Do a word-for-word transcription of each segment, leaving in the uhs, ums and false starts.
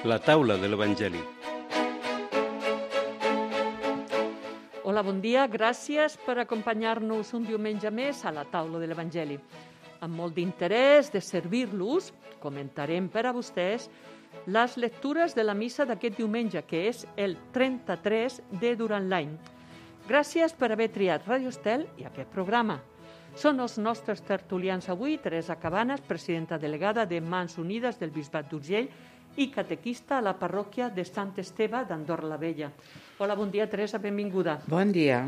La taula de l'Evangeli. Hola, bon dia. Gràcies per acompanyar-nos un diumenge més a la taula de l'Evangeli. Amb molt d'interès de servir-los, comentarem per a vostès les lectures de la missa d'aquest diumenge, que és el trenta-tres de durant l'any. Gràcies per haver triat Radio Estel i aquest programa. Són els nostres tertulians avui, Teresa Cabanes, presidenta delegada de Mans Unides del Bisbat d'Urgell i catequista a la parròquia de Sant Esteve d'Andorra la Vella. Hola, bon dia, Teresa, benvinguda. Bon dia.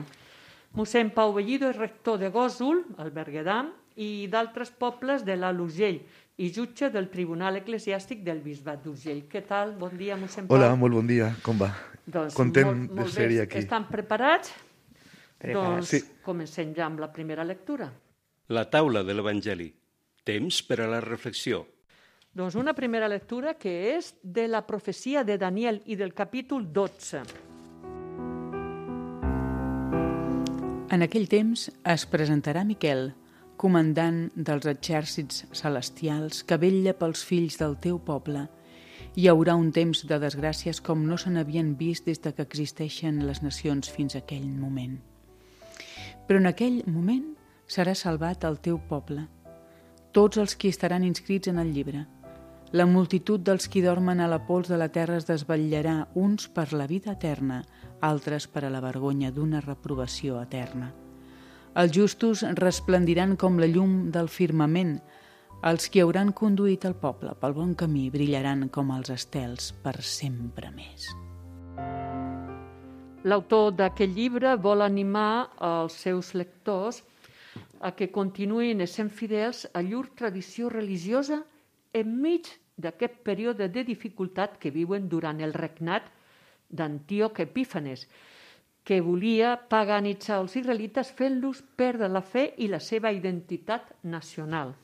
Mossèn Pau Bellido és rector de Gósol, al Berguedà, i d'altres pobles de l'Alt Urgell, i jutge del Tribunal Eclesiàstic del Bisbat d'Urgell. Què tal? Bon dia, mossèn Pau. Hola, molt bon dia. Com va? Doncs Content molt, de molt ser-hi bé. aquí. Estan preparats? Preparats. Doncs Sí. comencem ja amb la primera lectura. La taula de l'Evangeli. Temps per a la reflexió. Doncs una primera lectura que és de la profecia de Daniel i del capítol dotze. En aquell temps es presentarà Miquel, comandant dels exèrcits celestials que vetlla pels fills del teu poble. Hi haurà un temps de desgràcies com no se n'havien vist des de que existeixen les nacions fins a aquell moment. Però en aquell moment serà salvat el teu poble, tots els qui estaran inscrits en el llibre. La multitud dels qui dormen a la pols de la terra es desvetllarà, uns per la vida eterna, altres per a la vergonya d'una reprovació eterna. Els justos resplendiran com la llum del firmament. Els qui hauran conduït el poble pel bon camí brillaran com els estels per sempre més. L'autor d'aquest llibre vol animar els seus lectors a que continuïn essent fidels a llur tradició religiosa enmig d'aquest període de dificultat que viuen durant el regnat d'Antíoc Epífanes, que volia paganitzar els israelites fent-los perdre la fe i la seva identitat nacional.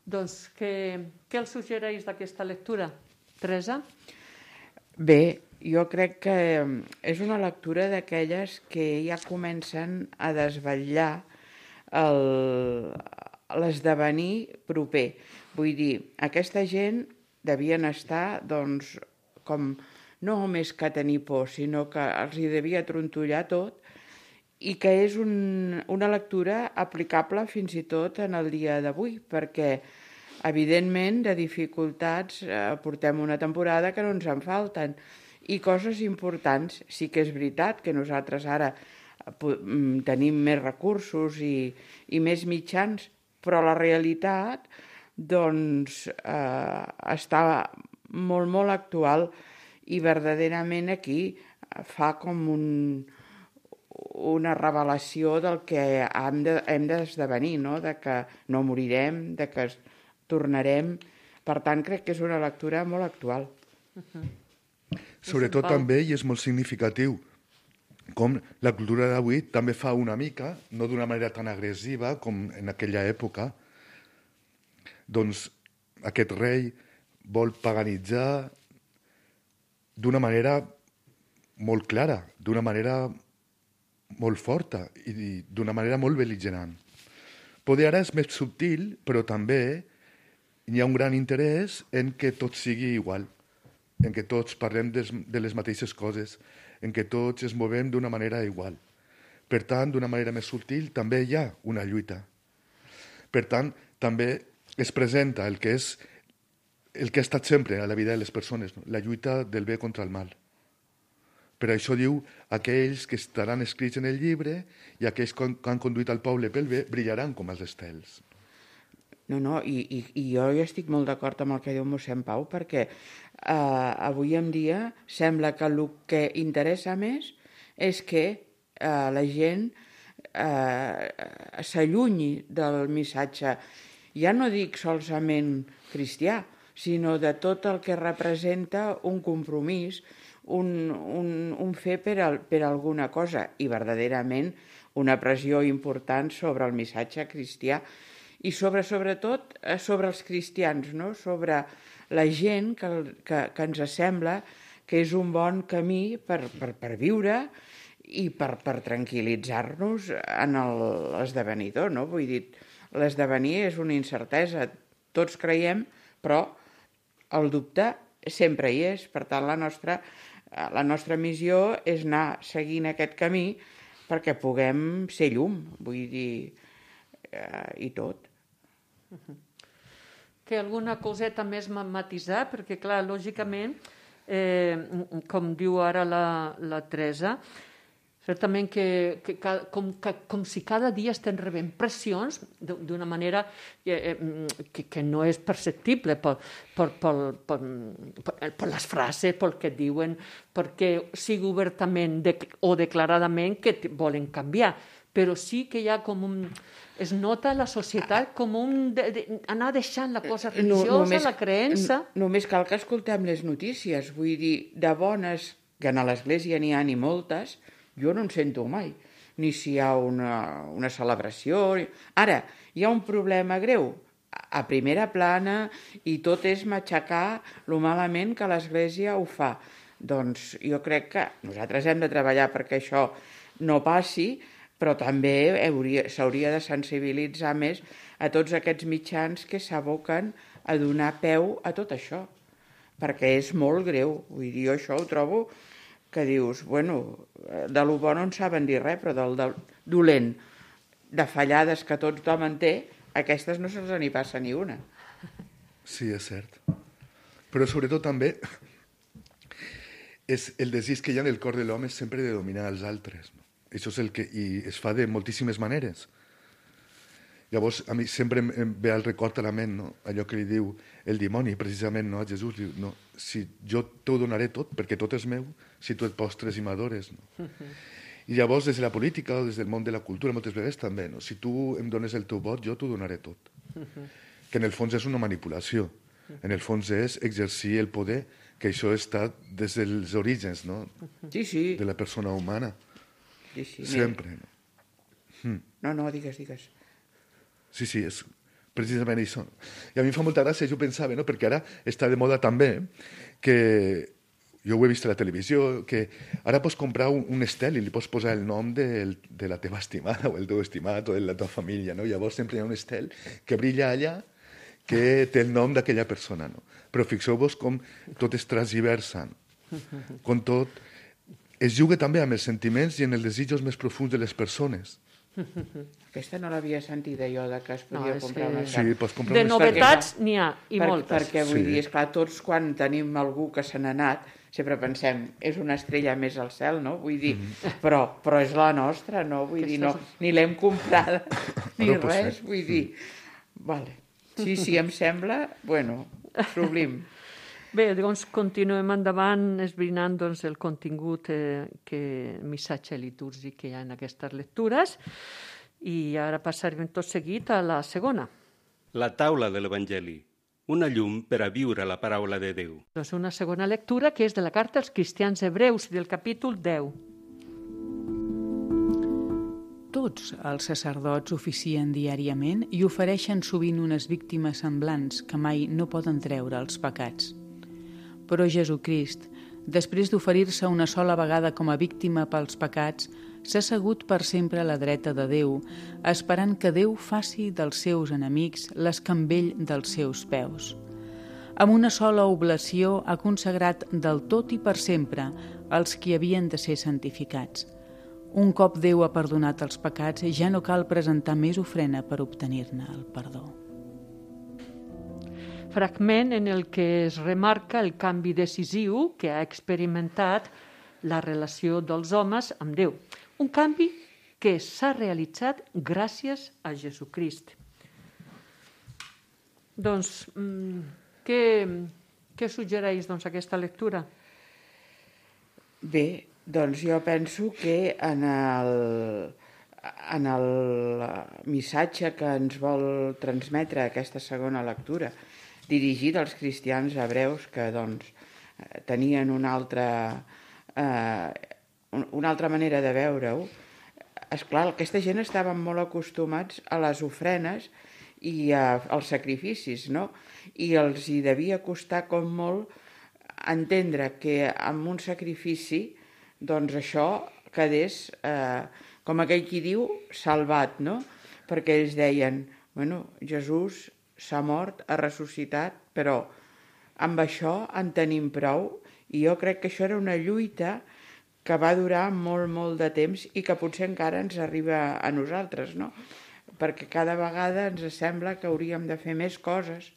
Doncs què, què els suggereix d'aquesta lectura? Teresa? Bé, jo crec que és una lectura d'aquelles que ja comencen a desvetllar el, l'esdevenir proper. Vull dir, aquesta gent devien estar, doncs, com no més que tenir por, sinó que els hi devia trontollar tot i que és un, una lectura aplicable fins i tot en el dia d'avui, perquè, evidentment, de dificultats eh, portem una temporada que no ens en falten i coses importants. Sí que és veritat que nosaltres ara tenim més recursos i, i més mitjans, però la realitat doncs, eh, està molt, molt actual i verdaderament aquí fa com un, una revelació del que hem, de, hem d'esdevenir, no? De que no morirem, de que tornarem. Per tant, crec que és una lectura molt actual. Uh-huh. Sobretot també, i és molt significatiu, com la cultura d'avui també fa una mica, no d'una manera tan agressiva com en aquella època, doncs aquest rei vol paganitzar d'una manera molt clara, d'una manera molt forta i d'una manera molt bel·ligerant. Poder ara és més subtil, però també hi ha un gran interès en que tot sigui igual, en que tots parlem des, de les mateixes coses, en què tots ens movem d'una manera igual. Per tant, d'una manera més subtil, també hi ha una lluita. Per tant, també es presenta el que és el que ha estat sempre a la vida de les persones, no? La lluita del bé contra el mal. Per això diu, aquells que estaran escrits en el llibre i aquells que han conduït el poble pel bé brillaran com els estels. No, no, i, i, i jo estic molt d'acord amb el que diu mossèn Pau, perquè eh, avui en dia sembla que el que interessa més és que eh, la gent eh, s'allunyi del missatge, ja no dic solament cristià, sinó de tot el que representa un compromís, un, un, un fer per, al, per alguna cosa, i verdaderament una pressió important sobre el missatge cristià, i sobre, sobretot sobre els cristians, no? Sobre la gent que, que, que ens sembla que és un bon camí per, per, per viure i per, per tranquil·litzar-nos en l'esdevenidor, no? Vull dir, l'esdevenir és una incertesa, tots creiem, però el dubte sempre hi és. Per tant, la nostra, la nostra missió és anar seguint aquest camí perquè puguem ser llum, vull dir, eh, i tot. Que alguna coseta més matisar, perquè, clar, lògicament, eh, com diu ara la, la Teresa, certament que, que, com, que com si cada dia estem rebent pressions d'una manera eh, que, que no és perceptible per, per, per, per, per, per les frases, pel que diuen, perquè sigui obertament de, o declaradament que volen canviar, però sí que hi ha com un... Es nota la societat com un... De, de, anar deixant la cosa religiosa, no, només, la creença... Només cal que escoltem les notícies, vull dir, de bones, que a l'església n'hi ha ni moltes, jo no en sento mai, ni si hi ha una, una celebració. Ara, hi ha un problema greu a primera plana i tot és matxacar lo malament que l'Església ho fa. Doncs jo crec que nosaltres hem de treballar perquè això no passi, però també s'hauria de sensibilitzar més a tots aquests mitjans que s'aboquen a donar peu a tot això, perquè és molt greu. Vull dir, jo això ho trobo que dius, bueno, de lo bo no en saben dir res, però del, del dolent, de fallades que tothom en té, aquestes no se'ls n'hi passa ni una. Sí, és cert. Però sobretot també és el desig que hi ha en el cor de l'home sempre de dominar els altres. No? Això és el que i es fa de moltíssimes maneres. Llavors, a mi sempre em ve al record a la ment, no? Allò que li diu el dimoni, precisament, no? A Jesús, diu, no, si jo t'ho donaré tot, perquè tot és meu, si tu et postres i m'adores. No? Uh-huh. I llavors, des de la política o des del món de la cultura, moltes vegades també, no? Si tu em dones el teu vot, jo t'ho donaré tot. Uh-huh. Que en el fons és una manipulació. Uh-huh. En el fons és exercir el poder, que això està des dels orígens, no? Uh-huh. Sí, sí. De la persona humana. Sí, sí. Sempre. No? Hmm. No, no, digues, digues. Sí, sí, és precisament això. I a mi em fa molta gràcia, jo pensava, no? Perquè ara està de moda també, que jo ho he vist a la televisió, que ara pots comprar un, un estel i li pots posar el nom de, de la teva estimada o el teu estimat o de la teva família, no? Llavors sempre hi ha un estel que brilla allà que té el nom d'aquella persona, no? Però fixeu-vos com tot es transversa, no? Com tot es juga també amb els sentiments i en els desitjos més profuns de les persones. Aquesta no l'havia sentida jo, de que es podia no, comprar una sí, pots comprar de una novetats n'hi ha, i per, moltes. Perquè vull sí. dir, esclar, tots quan tenim algú que se n'ha anat, sempre pensem, és una estrella més al cel, no? Vull dir, mm. però, però és la nostra, no? Vull dir, no, ni l'hem comprada, ni no res, vull dir. Vale. Sí, sí, em sembla, bueno, sublim. Bé, doncs continuem endavant esbrinant doncs, el contingut, eh, que, el missatge litúrgic que hi ha en aquestes lectures, i ara passarem tot seguit a la segona. La taula de l'Evangeli, una llum per a viure la paraula de Déu. Doncs una segona lectura que és de la carta als cristians hebreus, del capítol deu. Tots els sacerdots oficien diàriament i ofereixen sovint unes víctimes semblants que mai no poden treure els pecats. Però Jesucrist, després d'oferir-se una sola vegada com a víctima pels pecats, s'ha assegut per sempre a la dreta de Déu, esperant que Déu faci dels seus enemics l'escambell dels seus peus. Amb una sola oblació ha consagrat del tot i per sempre els qui havien de ser santificats. Un cop Déu ha perdonat els pecats, ja no cal presentar més ofrena per obtenir-ne el perdó. Fragment en el que es remarca el canvi decisiu que ha experimentat la relació dels homes amb Déu. Un canvi que s'ha realitzat gràcies a Jesucrist. Doncs, què, què suggereix doncs, aquesta lectura? Bé, doncs jo penso que en el, en el missatge que ens vol transmetre aquesta segona lectura, dirigit als cristians hebreus que doncs, tenien una altra, eh, una altra manera de veure-ho. Esclar, aquesta gent estaven molt acostumats a les ofrenes i a, als sacrificis, no? I els hi devia costar com molt entendre que amb un sacrifici doncs això quedés, eh, com aquell qui diu, salvat, no? Perquè ells deien, bueno, Jesús s'ha mort, ha ressuscitat, però amb això en tenim prou, i jo crec que això era una lluita que va durar molt, molt de temps i que potser encara ens arriba a nosaltres, no? Perquè cada vegada ens sembla que hauríem de fer més coses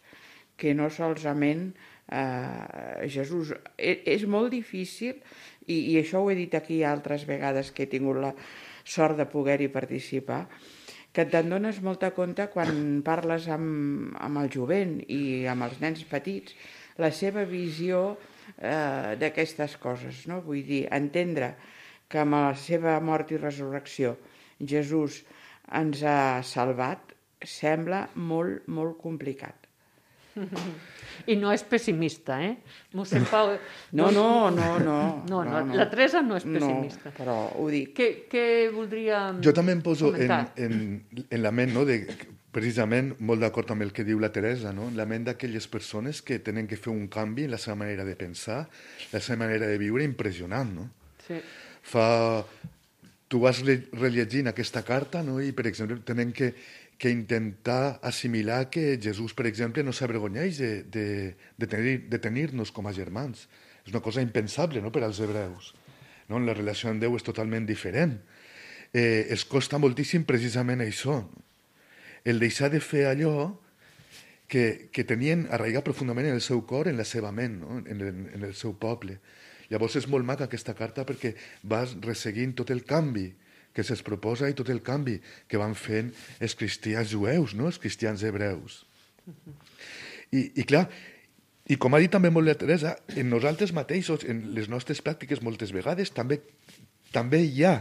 que no solament eh, Jesús. És, és molt difícil, i, i això ho he dit aquí altres vegades que he tingut la sort de poder-hi participar, que te'n dones molta compte quan parles amb, amb el jovent i amb els nens petits, la seva visió eh, d'aquestes coses, no? Vull dir, entendre que amb la seva mort i resurrecció Jesús ens ha salvat sembla molt, molt complicat. I no és pessimista, eh? Mossèn Pau... No, no, no, no. No, no, la Teresa no és pessimista. No, però ho dic. Què, què voldria Jo també em poso en, comentar? en, en la ment, no, de, precisament, molt d'acord amb el que diu la Teresa, no? La ment d'aquelles persones que tenen que fer un canvi en la seva manera de pensar, la seva manera de viure, impressionant, no? Sí. Fa... Tu vas rellegint aquesta carta, no? I, per exemple, tenen que, que intentar assimilar que Jesús, per exemple, no s'avergonyeix de, de, de, tenir, de tenir-nos com a germans. És una cosa impensable, no?, per als hebreus. No? La relació amb Déu és totalment diferent. Eh, es costa moltíssim precisament això, no? El deixar de fer allò que, que tenien arraigat profundament en el seu cor, en la seva ment, no? en, el, en el seu poble. Llavors és molt maca aquesta carta perquè vas resseguint tot el canvi que se'ls proposa i tot el canvi que van fent els cristians jueus, no? Els cristians hebreus. I, i clar, i com ha dit també molt la Teresa, en nosaltres mateixos, en les nostres pràctiques moltes vegades, també, també hi ha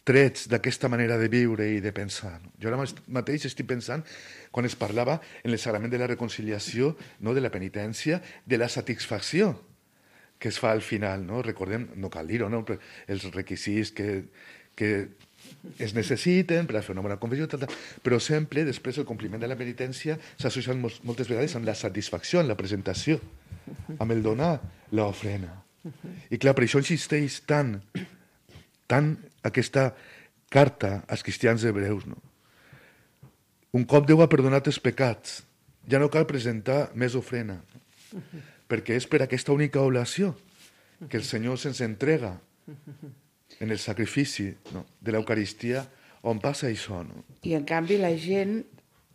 trets d'aquesta manera de viure i de pensar. No? Jo ara mateix estic pensant, quan es parlava en el sagrament de la reconciliació, no? De la penitència, de la satisfacció que es fa al final, no? Recordem, no cal dir-ho, no? Els requisits que, que es necessiten per a fer una bona confessió, tal, tal. Però sempre, després, el compliment de la penitència s'ha associat moltes vegades amb la satisfacció, amb la presentació, amb el donar l'ofrena. I clar, per això insisteix tant, tant aquesta carta als cristians hebreus, no? Un cop Déu ha perdonat els pecats, ja no cal presentar més ofrena, no? Perquè és per aquesta única oblació que el Senyor se'ns entrega en el sacrifici, no? De l'Eucaristia, on passa això. No? I en canvi la gent,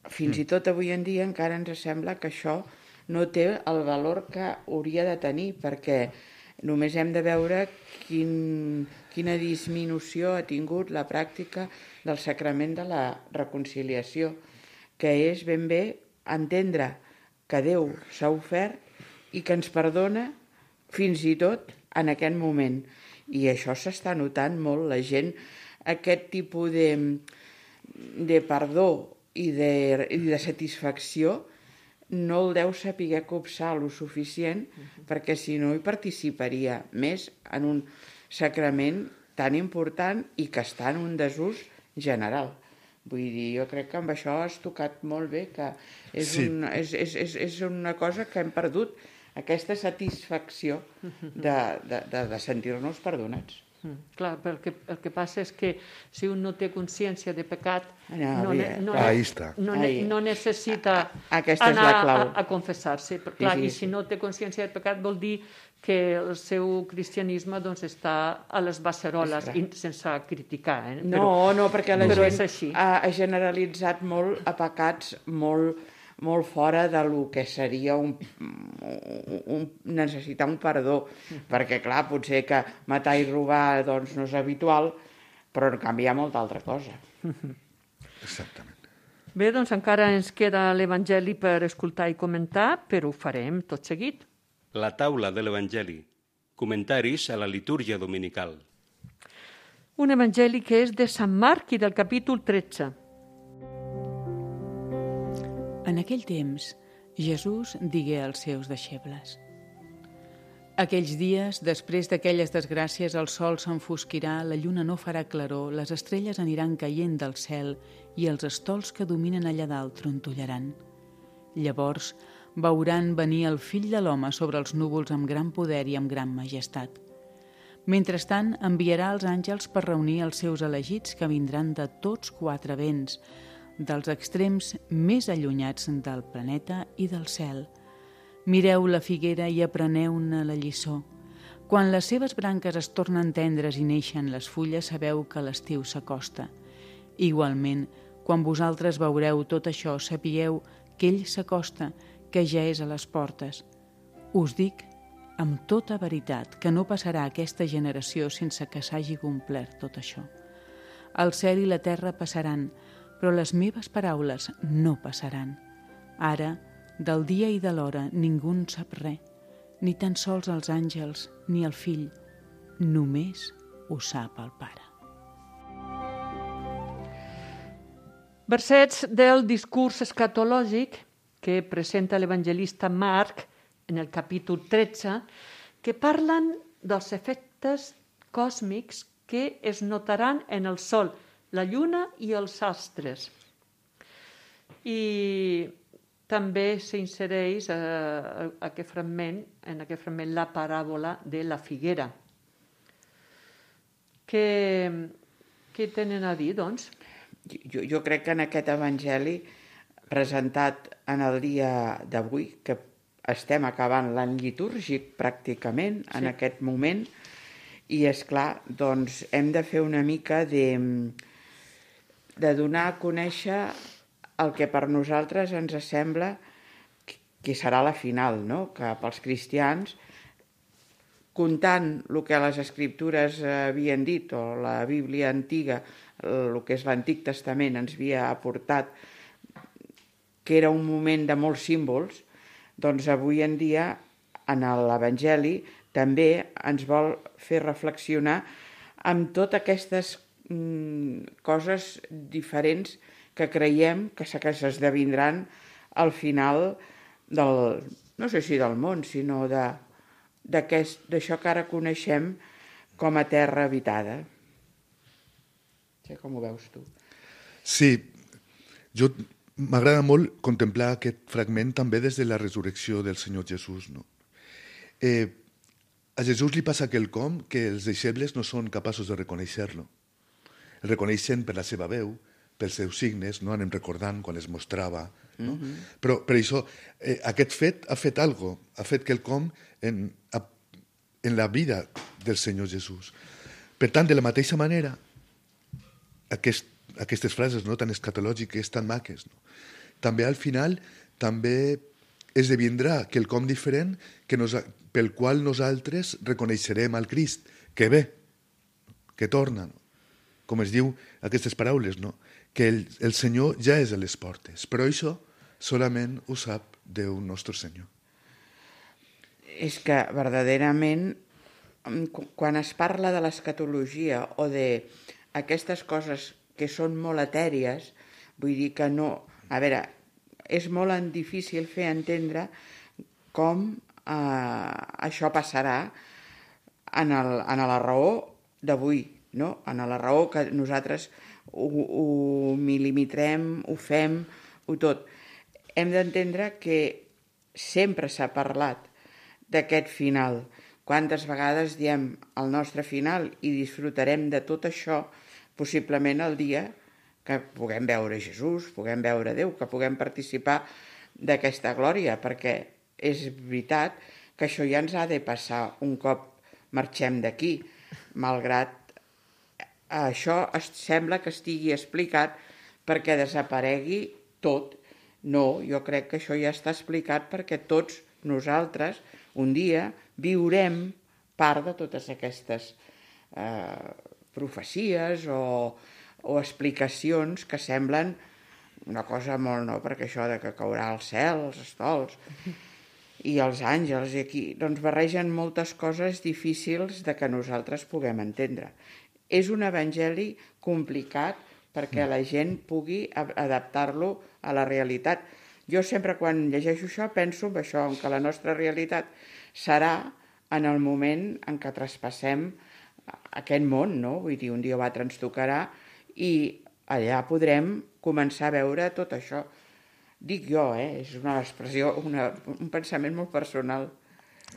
fins mm. i tot avui en dia, encara ens sembla que això no té el valor que hauria de tenir, perquè només hem de veure quin, quina disminució ha tingut la pràctica del sacrament de la reconciliació, que és ben bé entendre que Déu s'ha ofert i que ens perdona fins i tot en aquest moment. I això s'està notant molt. La gent, aquest tipus de, de perdó i de, i de satisfacció no el deu saber copsar lo suficient, uh-huh. perquè si no hi participaria més en un sacrament tan important i que està en un desús general. Vull dir, jo crec que amb això has tocat molt bé, que és, sí. un, és, és, és, és una cosa que hem perdut, aquesta satisfacció de, de, de, de sentir-nos perdonats. Mm, clar, però el que, el que passa és que si un no té consciència de pecat, no, no, ne, no, Ahí ne, està. no, ne, no necessita Aquesta anar és la clau. a, a confessar-se. Clar, sí, sí, I si no té consciència de pecat vol dir que el seu cristianisme doncs, està a les basseroles, i sense criticar. Eh? No, però, no, perquè la però gent ha, ha generalitzat molt a pecats molt, molt fora de lo que seria un, un, necessitar un perdó, mm. perquè clar, potser que matar i robar doncs, no és habitual, però en canvi hi ha molta altra cosa. Exactament. Bé, doncs encara ens queda l'Evangeli per escoltar i comentar, però ho farem tot seguit. La taula de l'Evangeli. Comentaris a la litúrgia dominical. Un Evangeli que és de Sant Marc i del capítol tretze. En aquell temps, Jesús digué als seus deixebles: aquells dies, després d'aquelles desgràcies, el sol s'enfosquirà, la lluna no farà claror, les estrelles aniran caient del cel i els estols que dominen allà dalt trontollaran. Llavors veuran venir el fill de l'home sobre els núvols amb gran poder i amb gran majestat. Mentrestant, enviarà els àngels per reunir els seus elegits que vindran de tots quatre vents, dels extrems més allunyats del planeta i del cel. Mireu la figuera i apreneu-ne la lliçó. Quan les seves branques es tornen tendres i neixen les fulles, sabeu que l'estiu s'acosta. Igualment, quan vosaltres veureu tot això, sapigueu que ell s'acosta, que ja és a les portes. Us dic amb tota veritat que no passarà aquesta generació sense que s'hagi complert tot això. El cel i la terra passaran, però les meves paraules no passaran. Ara, del dia i de l'hora, ningú en sap res, ni tan sols els àngels ni el fill, només ho sap el Pare. Versets del discurs escatològic que presenta l'evangelista Marc en el capítol tretze, que parlen dels efectes còsmics que es notaran en el sol, la lluna i els astres. I també s'insereix eh, aquest fragment, en aquest fragment la paràbola de la figuera. Què, què tenen a dir, doncs? Jo, jo crec que en aquest evangeli presentat en el dia d'avui, que estem acabant l'any litúrgic pràcticament en sí. aquest moment, i és clar, doncs hem de fer una mica de, de donar a conèixer el que per nosaltres ens sembla que serà la final, no? Que pels cristians, comptant el que les escriptures havien dit, o la Bíblia antiga, el que és l'Antic Testament, ens havia aportat, que era un moment de molts símbols, doncs avui en dia, en l'Evangeli, també ens vol fer reflexionar amb totes aquestes mm, coses diferents que creiem que s'esdevindran al final del, no sé si del món, sinó de, d'això que ara coneixem com a terra habitada. No sé com ho veus tu. Sí, jo m'agrada molt contemplar aquest fragment també des de la resurrecció del Senyor Jesús. No? Eh, a Jesús li passa quelcom que els deixebles no són capaços de reconèixer-lo. El reconeixen per la seva veu, pels seus signes, no? Anem recordant quan es mostrava. No? Mm-hmm. Però per això, eh, aquest fet ha fet algo, ha fet quelcom en, en la vida del Senyor Jesús. Per tant, de la mateixa manera, aquest, aquestes frases no, tan escatològiques, tan maques, no? També al final també esdevindrà quelcom diferent que nos, pel qual nosaltres reconeixerem al Crist, que ve, que torna, no? Com es diu aquestes paraules, no? Que el, el Senyor ja és a les portes, però això solament ho sap Déu nostre Senyor. És que verdaderament, quan es parla de l'escatologia o d'aquestes coses que són molt etèries, vull dir que no... A veure, és molt difícil fer entendre com eh, això passarà en, el, en la raó d'avui, no? En la raó que nosaltres ho, ho milimetrem, ho fem, ho tot. Hem d'entendre que sempre s'ha parlat d'aquest final. Quantes vegades diem el nostre final i disfrutarem de tot això, possiblement el dia que puguem veure Jesús, puguem veure Déu, que puguem participar d'aquesta glòria, perquè és veritat que això ja ens ha de passar un cop marxem d'aquí, malgrat això es sembla que estigui explicat perquè desaparegui tot. No, jo crec que això ja està explicat perquè tots nosaltres un dia viurem part de totes aquestes eh, profecies o, o explicacions que semblen una cosa molt, no? Perquè això de que caurà el cel, els estols i els àngels, i aquí doncs barregen moltes coses difícils de que nosaltres puguem entendre. És un evangeli complicat perquè la gent pugui adaptar-lo a la realitat. Jo sempre quan llegeixo això penso en això, en que la nostra realitat serà en el moment en què traspassem aquest món, no? Vull dir, un dia va transtocarà i allà podrem començar a veure tot això. Dic jo, eh? És una expressió, una, un pensament molt personal.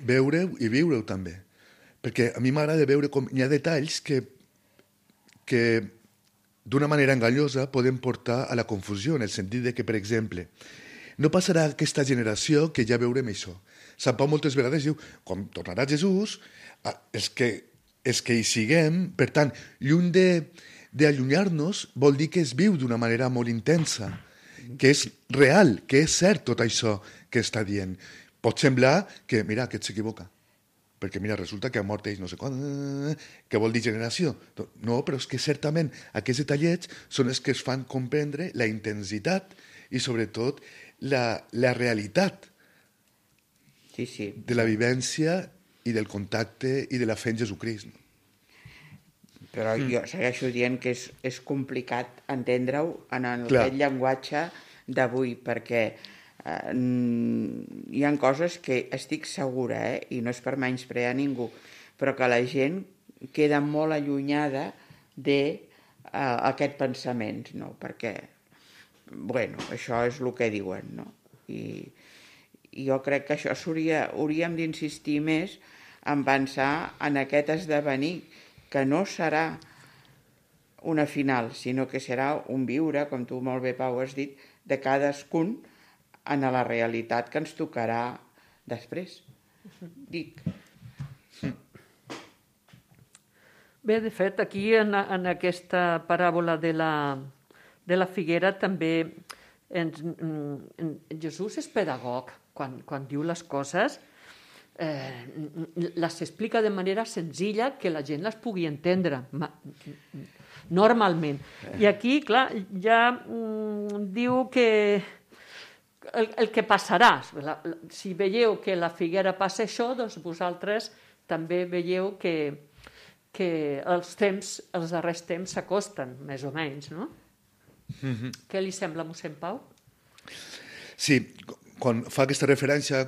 Veure-ho i viure-ho també. Perquè a mi m'agrada veure com hi ha detalls que que d'una manera enganyosa poden portar a la confusió, en el sentit de que, per exemple, no passarà aquesta generació que ja veurem això. Sant Pau moltes vegades diu, com tornarà Jesús, els que, els que hi siguem, per tant, lluny d'allunyar-nos vol dir que es viu d'una manera molt intensa, que és real, que és cert tot això que està dient. Pot semblar que, mira, aquest s'equivoca, perquè mira, resulta que ha mort ells no sé quan, que vol dir generació. No, però és que certament aquests detallets són els que es fan comprendre la intensitat i sobretot la, la realitat sí, sí. de la vivència i del contacte i de la fe en Jesucrist. Però mm. jo segueixo dient que és, és complicat entendre-ho en el, aquest llenguatge d'avui, perquè eh, hi ha coses que estic segura, eh, i no és per menysprear ningú, però que la gent queda molt allunyada d'aquest pensament, no? Perquè, bueno, això és el que diuen, no? I, i jo crec que això hauria, hauríem d'insistir més en pensar en aquest esdevenir, que no serà una final, sinó que serà un viure, com tu molt bé, Pau, has dit, de cadascun en la realitat que ens tocarà després. Dic. Bé, de fet, aquí en, en aquesta paràbola de la, de la figuera també ens, en, Jesús és pedagog. Quan, quan diu les coses, eh, les explica de manera senzilla que la gent les pugui entendre, normalment. I aquí, clar, ja mm, diu que el, el que passarà, la, la, si veieu que la figuera passa això, doncs vosaltres també veieu que, que els temps, els darrers temps s'acosten, més o menys, no? Mm-hmm. Què li sembla, mossèn Pau? Sí, quan fa aquesta referència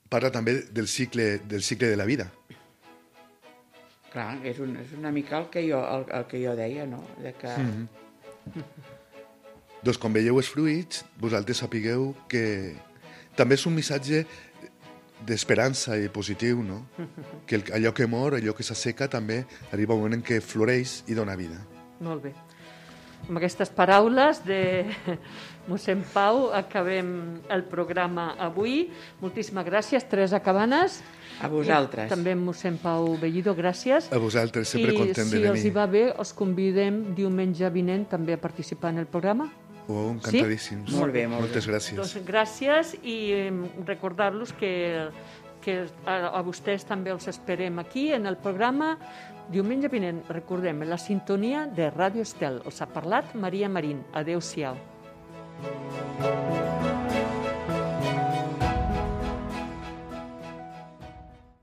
parla també del cicle, del cicle de la vida. Clar, és, un, és una mica el que jo, el, el que jo deia, no? De que... Mm-hmm. Doncs quan veieu els fruits, vosaltres sapigueu que també és un missatge d'esperança i positiu, no? Que el, allò que mor, allò que s'asseca, també arriba un moment en què floreix i dona vida. Molt bé. Amb aquestes paraules de mossèn Pau acabem el programa avui. Moltíssimes gràcies, Teresa Cabanes. A vosaltres. I també mossèn Pau Bellido, gràcies. A vosaltres, sempre I content si de venir. els hi va bé, els convidem diumenge vinent també a participar en el programa. Oh, encantadíssims. Sí? Molt bé, molt Moltes bé. gràcies. Doncs gràcies i recordar-los que, que a, a vostès també els esperem aquí en el programa diumenge vinent. Recordem, la sintonia de Ràdio Estel. Els ha parlat Maria Marín. Adéu-siau.